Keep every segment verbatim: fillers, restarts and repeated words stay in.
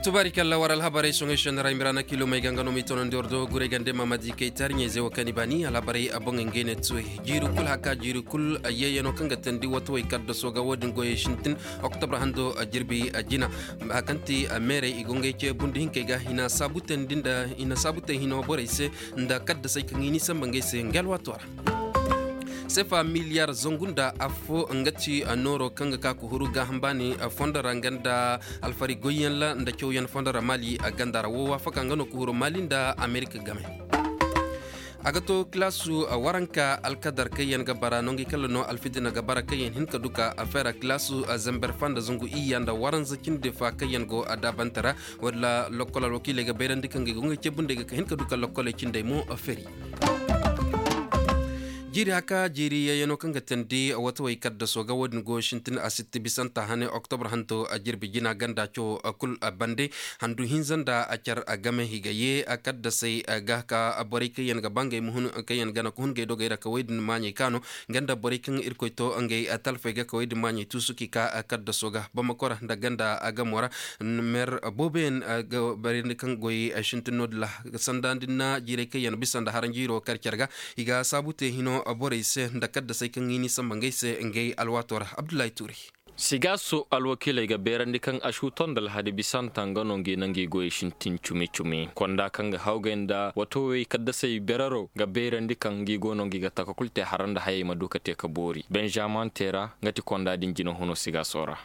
Tubaari kalla war alhabarey soŋey sennera imiraana kilomey ga nga no m'i tonandi war do guray gande mamadi kay taariɲey ze wo kaŋ i baani alhabarey a boŋey ngey ne tuwey. Jiiri kul haka jiiri kul yeeyano kaŋ ga teendi watawey kaddaso ga wo-din goyey sintin oktobra hando jirbi jina. Haka kaŋ ti meerey i go ngey ceebundi hinkey ga i na saabu teendi nda i na saabu tee hino borey se nda kaddasey kaŋ i n'i samba ngey se nga alwaato ra. Sefa miliyar zangu nda affo nga ti nooro kaŋ ga ka ka huru gaaham baani fondo ra nga nda alfari goyyaŋ ra nda cawyaŋ fondo ra maali ganda ra wo waafaka nga no ka huru maali nda amerika game. A ga to kilaasu waranka alkadar kaŋ yaŋ ga bara nongi kala no alfidina ga bara kaŋ yaŋ hin ka duka a fera kilaasu zamber fa nda zangu iyya nda waranza cindi fa kaŋ yaŋ go a daabante ra. Walla lokkol alwakiiley ga bayrandi kaŋ ga i go nga ceebundey ga ka hin ka duka lokkoley cindey mo feri. Jiiri haka jiiri yayano kaŋ ga teendi watawey kaddaso ga wo-din go sintin a sitti bisanta hane oktobra hanto a jirbi jina ganda caw kul bande. Handu hinza nda a car game i ga ye kaddasey ga ka borey kaŋ yaŋ ga ba ngey ma hun kaŋ yaŋ gana ka hun ngey dogey ra kawey din maaɲey kaano. Nga nda borey kaŋ irkoy to ngey talfey ga kawey din maaɲey tuusu k'i ka kaddaso ga bamakora nda ganda gamo ra. Mer booboyaŋ ga barandi kaŋ goy sintin no-din ra sanda nda ni na jiirey kaŋ yaŋ bisa nda haranjiiro kar car ga. I ga saabu te hino borey se nda kaddasey kaŋ i n'i samba ngey se ngey alwaato ra. Abdullahi tuuri. Sigaaso alwakiiley ga beerandi kaŋ ašuuto nda alhadi bisanta nga no ngi na ngi goyey sintin cumi-cumi konda kaŋ ga hawgay nda watowey kaddasey berero ga beerandi kaŋ ngi go no ngi ga taka kul te hara nda hayey ma du ka te ka boori benžaman te ra nga ti konda din jina huno sigaaso ra.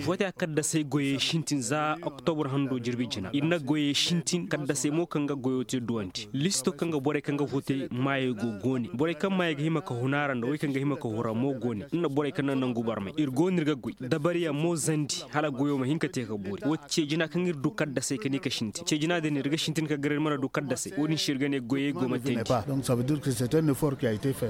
Vote a kaddasey goyey sintin za oktobur hando jirbi jina ir na goyey sintin kaddasey mo kaŋ ga goyo te duwandi listo kaŋ ga borey kaŋ ga vote maayey go goone borey kaŋ maayey ga hima ka huna ra nda wey kaŋ ga hima ka hura mo goone nda borey kaŋ na nangu barmey ir go no ir ga goy dabariyaŋ mo zandi hala goyo ma hin ka te ka boori wo ceejina kaŋ ir du kaddasey ka ne ka sintin ceejina din ir ga sintin ka gar ir mana du kaddasey wo-din se ir ga ne goyey go ma teendi.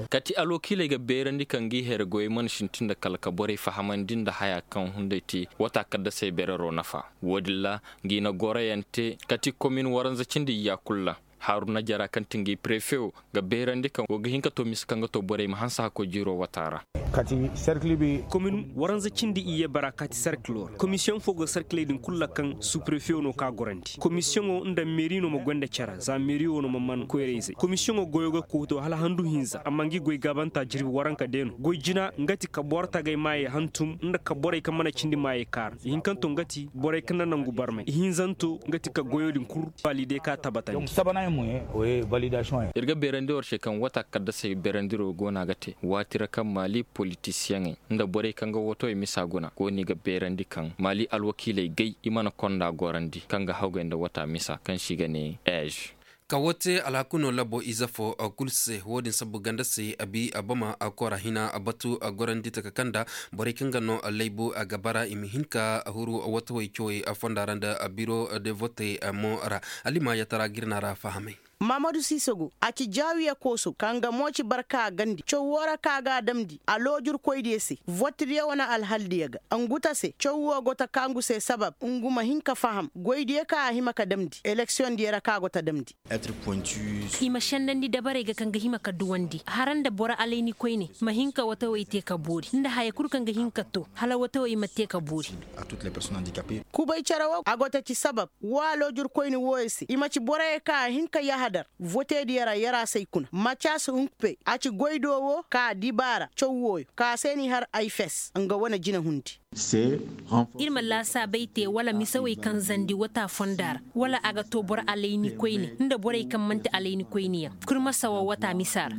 Kati alwakiiley ga beerandi kaŋ ngi here goyey mana sintin nda kala ka borey fahamandi nda haya kaŋ hunday te wata kaddasey berero nafa wo-din ra ngi na goroyaŋ te kati komin waranza cindi iyya kul ra haruna jara kaŋ ti ngi prefe wo ga beerandi kaŋ wo ga hin ka to mise kaŋ ga to borey ma hanse hakkoy jiiro wata ra. Komin waranza cindi iyye bara kati serkilo ra komisiyoŋ fo go serkiley din kul ra kaŋ suprefe wo no ka gorandi komisiyoŋo nda meeri no ma goy nda care za meeri wo no ma man koyra-izey komisiyoŋo goyo ga koy to hala handu hinza amma ngi goy gaabanta jirbi waranka day no goy jina nga ti ka boro tagay maayey hantum nda ka borey kaŋ mana cindi maayey kaara ihinkanto nga ti borey kaŋ na nangu barmey ihinzanto nga ti ka goyo din kul valide ka tabatandi. Ir ga beerandi war se kaŋ wata kaddasey beerandiro go no a ga te waati ra kaŋ maali politisiyeŋey nda borey kaŋ ga wootowey misa guna go no i ga beerandi kaŋ maali alwakiiley gay i mana konda gorandi kaŋ ga hawgay nda wata misa kaŋ se i ga ne ej. Ka woo te alhakuno labo ize fo kul se woo din sabu ganda se abi abama kora hina batu gorandi taka kaŋ nda borey kaŋ ga no laybu a ga bara i ma hin ka huru watawey cawey fonda ra nda biro de vote mo ra. Alima yatara girna ra fahamay. Maamadu siisogo a ci jaawiya kooso ka nga mo ci barka gandi caw woo ra ka ga a damndi a loojurkoydiyo se votdiyo wane alhaldiyo ga. Ngu ta se caw woo go ta ka ngu se sabab ngu ma hin ka faham goydiyo ka a hima ka damndi eleksiyoŋdiyo ra ka go ta damndi. I ma sendandi dabarey ga kaŋ ga hima ka duwandi hara nda boro alaynikoyne ma hin ka watawey te ka boori nda haya kul kaŋ ga hin ka to hala watawey ma te ka boori. Kubay cere woo a go ta ci sabab woo aloojurkoyne wooyo se i ma ci boroyo kaŋ a hin ka yahadar votediyo ra yaraasay kuna macas hunkpe a ci goy do woo ka dibaara caw wooyo ka se n'i har ay fes nga wane jinahundi. Ir ma laasaabey te wala misawey kaŋ zandi wata fonda ra wala a ga to boro alaynikoyne nda borey kaŋ man'ti alaynikoyne yaŋ kul ma sawa wata misa ra.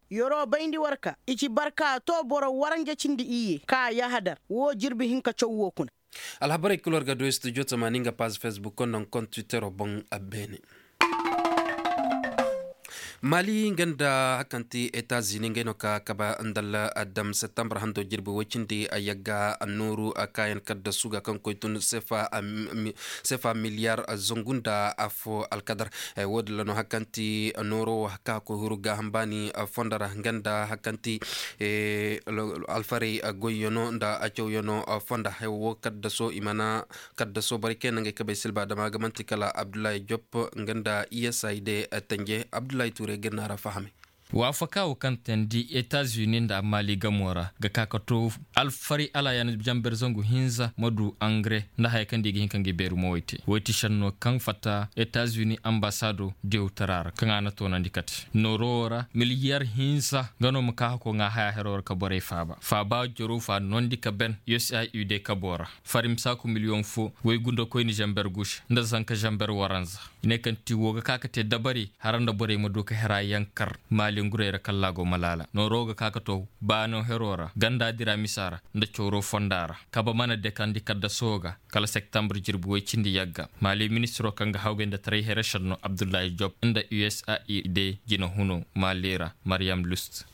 Yeroo bayndi war ka i ci barka to boro waranja cindi iyye ka a yahadar woo jirbi hinka caw woo kuna. Alhabarey kul war ga du studio tamaani nga paazi facebook konda nga konda twittero boŋ. Beene maali nga nda hari kaŋ ti etazini ngey no ka kabe nda aldam septambur hando jirbi woy cindi yagga nooru kaayaŋ kaddasu ga kaŋ koy tun seefa miliyar zangu nda affo alkadar. Woodin ra no hari kaŋ ti nooro wo hari kaŋ a koy huru gaaham baani fondo ra nga nda hari kaŋ ti alfarey goyyaŋo nda cawyano fonda. Wo kaddaso i mana kaddaso borey kaŋ yaŋ no ngey kabey silba dama ga man'ti kala abdullahi jop nga nda i s i d tanje abdullahi tuure ga ir no a ra fahamay. Waafaka wo kaŋ teendi etazuni nda maali gamo ra ga ka ka to alfari alaayan janber zangu hinza ma du angare nda haya kaŋ da i ga hin ka ngi beeru mo way te. Way ti šenno kaŋ fatta etazuni ambasaado diyawtara ra kaŋ a na toonandi kate nooro wo ra miliyar hinza nga no ma ka hako ŋaa haya hero ra ka borey faaba faaba jaro fa noondi ka ben usaid kabo ra. Fari ma saaku miliyoŋ fo waygundakoyni zanber guusi nda zanka zanber waranza. I ne kaŋ ti wo ga ka ka te dabari hara nda borey ma du ka hera yankar maali ngurey ra kallaago ma laala nooro ga ka ka to baano hero ra ganda dira misa ra nda cawro fonda ra. Kaba mana dekandi kaddaso ga kala septembre jirbi woy cindi yagga maali ministiro kaŋ ga hawgay nda taray here šenno abdullahi job nda usaid jina huno maali ra. Maryam lust.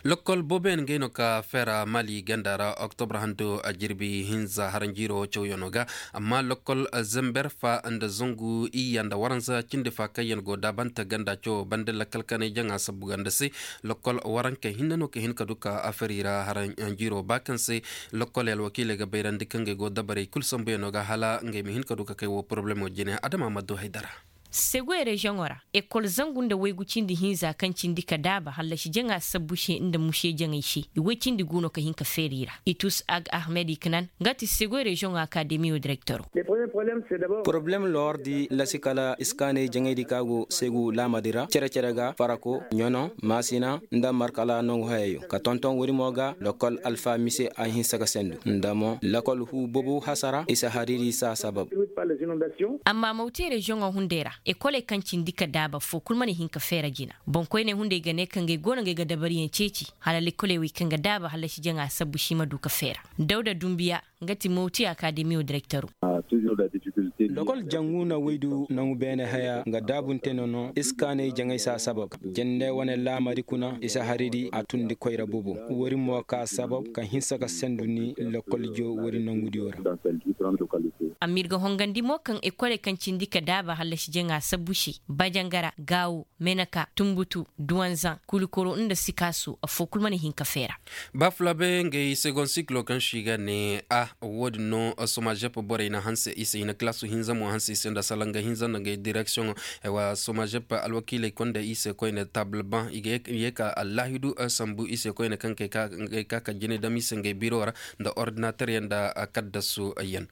Lokkol booboyaŋ ngey no ka feera mali ganda ra oktobre hando a jirbi hinza haranjiiro cawyaŋo ga. Amma lokkol zember fa nda zangu iyya nda waranza cindi fa kaŋ yaŋ go daabante ganda cawo bande lakkal kanay jaŋa sabbu ganda se. Lokkol warankey hinne no ka hin ka du ka afari ra haranjiiro ba kaŋ se lokkol alwakiiley ga bayrandi kaŋ ngey go dabarey kulu sambuyaŋo ga hala ngey ma hin ka du ka kay wo poroblemo jine adama ma du haydara. Segoy reziyoŋo ra ekol zangu nda waygu cindi hinza kaŋ cindi ka daaba hallasi jaŋa sabbu se nda muse jaŋay se i way cindi gu no ka hin ka feeri ra. Itus ag ahmed iknan nga ti segoy reziyoŋo akademiyo direktoro. Poroblem lordi lasi kala iskaanay jaŋaydi ka go segu laamadi ra cere-cere ga farako ɲono maasina nda markala nangu hayayo ka tonton wari mo ga lokol alfa mise a hinsa ga sendu nda mo lokol huu bobo hasara isa hariri sa sabab. Amma mawte reziyoŋo hunday ra ekoley kaŋ cindi ka daaba foo kul mana hin ka feera jina. Boŋkoyney hunday ga ne kaŋ gay go no gay ga dabariyaŋ ceeci hala lekoley wey kaŋ ga daaba hallasi jaŋa sabbu si ma du ka feera. Dawda dumbiya nga ti mawti akademiyo direktoro. Lokol jangu na waydu nangu beene haya nga daabunte nono iskaanay jaŋay sa sabab jende wane laamari kuna isa haridi a tundi koyra bobo. Wari mo ka sabab ka hinsa ka sendu ni lokol jo wari nangudiyo ra. Amma ir ga hongandi mo kaŋ ekoley kaŋ cindi ka daaba hallasi jaŋa sabbu se bajangara gaawo meneka tumbutu duwanzaŋ kulikoro nda sikaasu affoo kul mana hin ka feera. Ba fulabe ngey segon sikilo kaŋ se i ga ne a wo- din no somazep borey na hanse i se i na kalaasu hinza mo hanse i se nda salanga hinza nda ngey direksiyoŋo. Somazep alwakiiley konda i se koyne taabul baŋ i ga ye ka allaahidu sambu i se koyne kaŋ kay ka ka jine dam i se ngey biro ra nda ordinateryaŋ nda kaddasu yaŋ.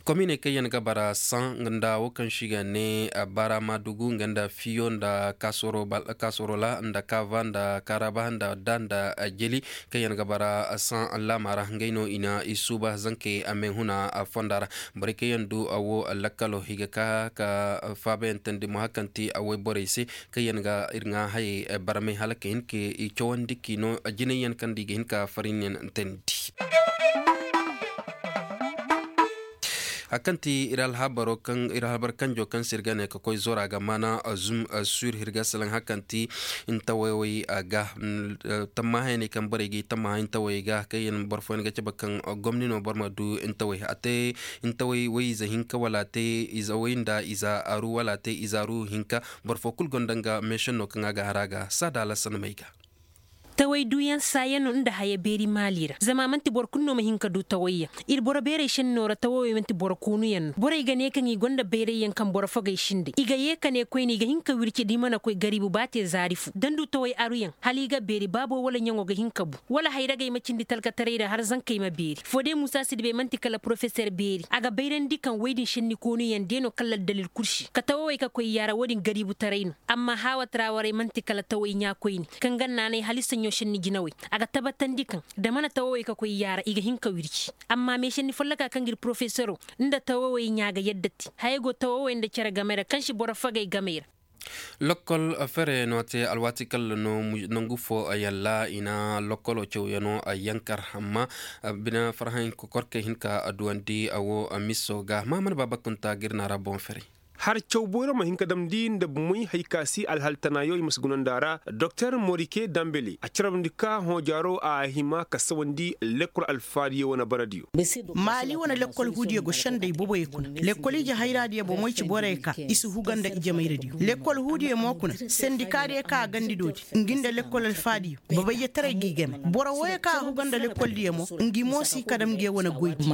Kominey kaŋ yaŋ ga bara saŋ nda wo kaŋ se i ga ne bara maadugu nga nda fiyo nda kaasorola nda kaava nda kaaraba nda da nda jeli kaŋ yaŋ ga bara saŋ laama ra ngey no i na i suuba zankey a meehuna fonda ra. Borey kaŋ yaŋ du a wo lakkalo i ga ka ka faabayaŋ teendi mo hari kaŋ ti a woy borey se kaŋ yaŋ ga ir ŋaa hayey barmay hala ka hin ka i cawandi k'i no jinay yaŋ kaŋ nda i ga hin ka farin yaŋ teendi. Hari kaŋ ti ir alhabar kanjo kaŋ se ir ga ne ka koy zora ga maana zum sur ir ga salaŋ hari kaŋ ti ntawaywey ga tammahayaney kaŋ borey ga i tammaha ntawey ga kaŋ yaŋ boro fooyaŋ ga cabe kaŋ gomni no boro ma du ntawey a te ntawey way ize hinka wala a te ize way nda ize aru wala a te ize aru hinka. Boro fo kulu gonda nga meesenno kaŋ a ga har a ga saada alasanmey ga. Taway duuyaŋ saayaŋ no nda haya beeri maali ra zama a man'ti boro kulu no ma hin ka du tawayyaŋ. Ir boro beerey senno ra tawawey man'ti boro koonuyaŋ no borey ga ne kaŋ i gonda bayrayyaŋ kaŋ boro fogey sinday i ga yee ka ne koyne i ga hin ka wirci da i mana koy gariibu ba te zaari fu da ni du taway aruyaŋ hala i ga beeri baabo wala ɲaŋo ga hin ka bu. Wala hayragey ma cindi talkataray ra har zankey ma beeri foode muusa sidibey man'ti kala porofeser beeri a ga bayrandi kaŋ woy din senni koonuyaŋ de no kala aldalil kul se ka tawawey ka koy yaara wo-din gariibutaray no. Amma haawat ra warey man'ti kala taway ɲaakoyni kaŋ ga naanay hala i saɲɲo senni jinawey a ga tabatandi kaŋ da mana tawawey ka koy yaara i ga hin ka wirci. Amma meesenni folloka kaŋ ga ir porofesero nda tawawey ɲaa ga yadda te hayey go tawawey nda cere game ra kaŋ si boro fagay game ra. Lokkol fere no te alwaati kalla no nangu fo yalla i na lokkolo cawyaŋo yankar amma bine farhaŋ kokorkey hin ka duwandi a wo miso ga maamana baaba kunta ga ir na ra boŋ fere. Har caw boyro ma hin ka damndi nda bumey hay ka si alhal tanayo i ma si guna nda ra doktor morike dambele a carabndi ka hõojaaro a hima ka sawandi lekkol alfaadiyo wane baradiyo. Maali wane lekkol huudiyo go sendey boboyey kuna lekkol ije hayraadiyo bomoy ci borey ka i si huga nda ijemayradiyo lekkol huudiyo mo kuna sendikaadiyo ka a gandi doodi ngi nda lekkol alfaadiyo. Babayye taray g'i game boro wooyo kaŋ a huga nda lekkoldiyo mo ngi mo si ka dam nge wane goydi.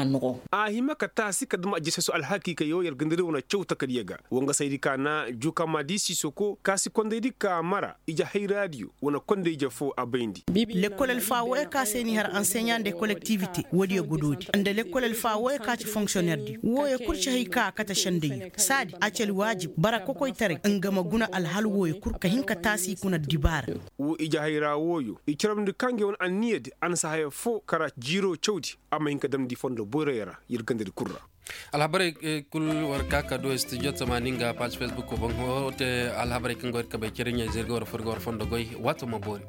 A hima ka taasi ka dam ajeseso alhakiikayo yer ga nda ir wane caw takadiyo. Woo nga saydi ka na juuka ma di siisoko kaasi kondaydi ka mara ije hayraadiyo wane konday ije foo a bayndi. Lekkol alfaa wooyo ka se n'i har anseɲa nda kolektiwite woodiyo godoodi nda lekkol alfaa wooyo ka ci fonksiyonerdi wooyo kul ci hay ka a kate sendayyo saadi a ci alwaajib bara kokoytaray nga ma guna alhal wooyo kul ka hin ka taasi i kuna dibaara. Woo ije hayra wooyo i carabndi ka ngey wane anniyadi a na si haya foo kara jiiroo cawdi a ma hin ka damndi fondo boyroyo ra yer gandadi kul ra. Alhabarey kul war ka ka du studio tamaani nga paaz fesbuk boŋ. Wo te alhabarey kaŋ go ir kabey cere ɲayze ir ga war fur ir ga war fondo goy. Waato ma boori.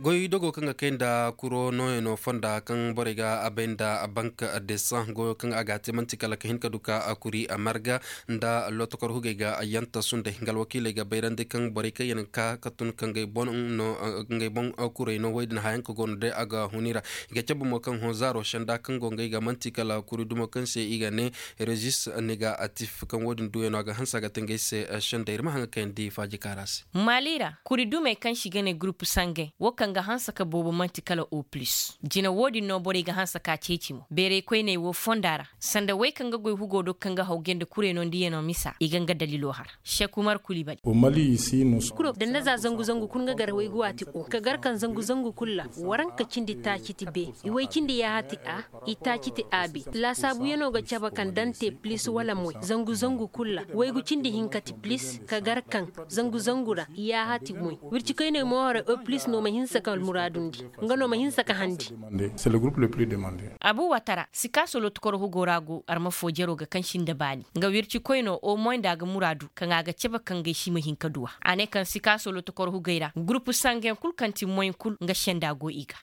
Goy dogo kaŋ ga kay nda kuro nooyano fonda kaŋ borey ga a bay nda bank desan goyo kaŋ a ga a te man'ti kala ka hin ka du ka kuri marga nda lotokor hugey ga yanta sunday nga alwakiiley ga bayrandi kaŋ borey kaŋ yaŋ ga ka ka tun ka ngey boŋ kurey no wey din hayaŋ ka go no day a ga huni ra. I ga cabe mo kaŋ hõ zaaro senda kaŋ go ngey ga man'ti kala kuri dumo kaŋ se i ga ne rezis negatif kaŋ wo- din duuyano a ga hanse a ga te ngey se. Senda ir ma haŋ ga kayandi faaji kaara se. Maali ra kuri dumey kaŋ se i ga ne gurupu sangey wo kaŋ ga hanse ka boobo man'ti kala o pulis jine wo- din no borey ga hanse ka ceeci mo beerey koyney wo fonda ra sanda wey kaŋ ga goy hugo do kaŋ ga haw gay nda kurey no nda yano misa i ga nga dalilo har. Sek umar kulibali. Kuro danda za zangu zangu kul nga gar waygu waati o ka gar kaŋ zangu zangu kul ra waranka cindi taaciti be i way cindi yaahati a i taaciti a be laasaabu yano ga cabe kaŋ dante pilis wala moy zangu zangu kul ra waygu cindi hinka ti pilis ka gar kaŋ zangu zangu ra yaahati moy wirci koyney mo hore o pilis no ma hinsa ka almuraadundi nga no ma hinsa ka handi. Abu watara sikaaso lotukoro hugo ra go arma foo jero ga kaŋ si nda baani nga wirci koyno o moy nda a ga muraadu kaŋ a ga cabe kaŋ gay si ma hin ka duwa a ne kaŋ sikaaso lotukoro hugey ra gurupu sangeyaŋ kul kaŋ ti moy kul nga senda go i ga.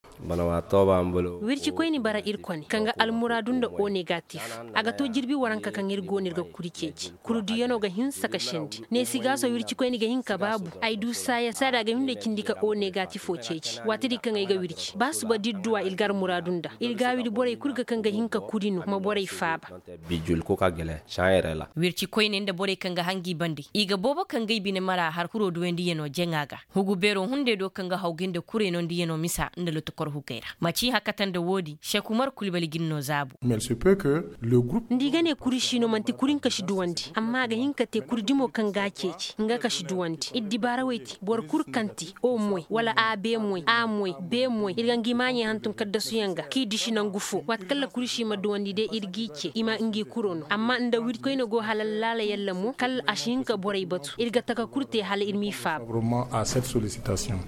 Wirci koyni bara ir kone kaŋ ga almuraadu nda o negatif a ga to jirbi waranka kaŋ ir go no ir ga kuri ceeci kuri duyano ga hinsa ka sendi ne sigaaso wirci koyni ga hin ka baabu ay du saaya saada a ga hin nda cindi ka o negatifo ceeci waati di kaŋ ay ga wirci ba suba da ir duwa ir ga almuraadu nda ir gaawidi borey kul ga kaŋ ga hin ka kuri no ma borey faaba. Wirci koyne nda borey kaŋ ga hangi bande i ga boobo kaŋ ga i bine mara har kuro duwandiyano jaŋa ga hugu beero hunday do kaŋ ga haw ga nda kurey no nda yano misa nda lotokor hugey ra maci hakata nda woodi sekumar kulbali ga ni no zaabu. Nda i ga ne kuri si no man'ti kuri nka si duwandi amma a ga hin ka te kuri dimo kaŋ ga a ceeci nga ka si duwandi ir dibaara wey te boro kul kaŋ te o moy wala a be moy a moy be moy ir ga ngi maaɲey hantum kaddasuyaŋ ga k'i disi nangu fo waati kaŋ ra kuri si ma duwandi day ir g'i ce i ma ngi kuro no amma nda wirkoyne go hala laala yalla mo kala a si hin ka borey batu ir ga taka kul te hala ir m'i faaba.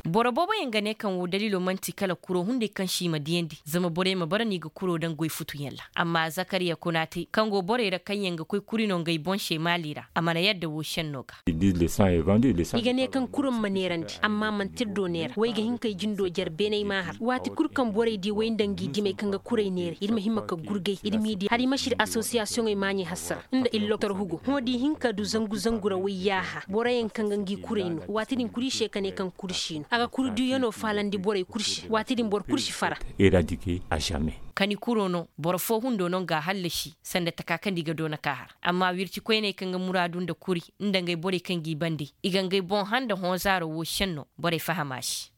Boro booboyaŋ ga ne kaŋ woo daliilo man'ti kala kuro hunday kaŋ si i ma diyandi zama borey ma bara no i ga kuro daŋ goy futuyaŋ ra amma zakariya konaate kaŋ go borey ra kaŋ yaŋ ga koy kuri no ngey boŋ se maali ra a mana yadda woo senno ga. I ga ne kaŋ kuro ma neerandi amma man'ti ir do neera wey ga hin k'ay jindo jer beenay m'a har waati kul kaŋ borey di wey nda ngi dimey kaŋ ga kurey neera ir ma hima ka gurgay ir m'i di hala i ma si ir asosiyasiyoŋey maaɲey hassara nda ir loktor hugo hõ da i hin ka du zangu zangu ra wey yaaha boroyaŋ kaŋ ga ngi kurey no waati din kuri se ka ne kaŋ kuri si no a ga kuri duyano faalandi borey kul se waati din boro kul si fara. Ka ni kuro no boro foo hundo no nga a hallasi sanda taka kaŋ nda i ga doona ka har amma wirci koyney kaŋ ga muraadu nda kuri nda ngey borey kaŋ g'i bande i ga ngey boŋ handa hõ zaaro woo senno borey faham a se.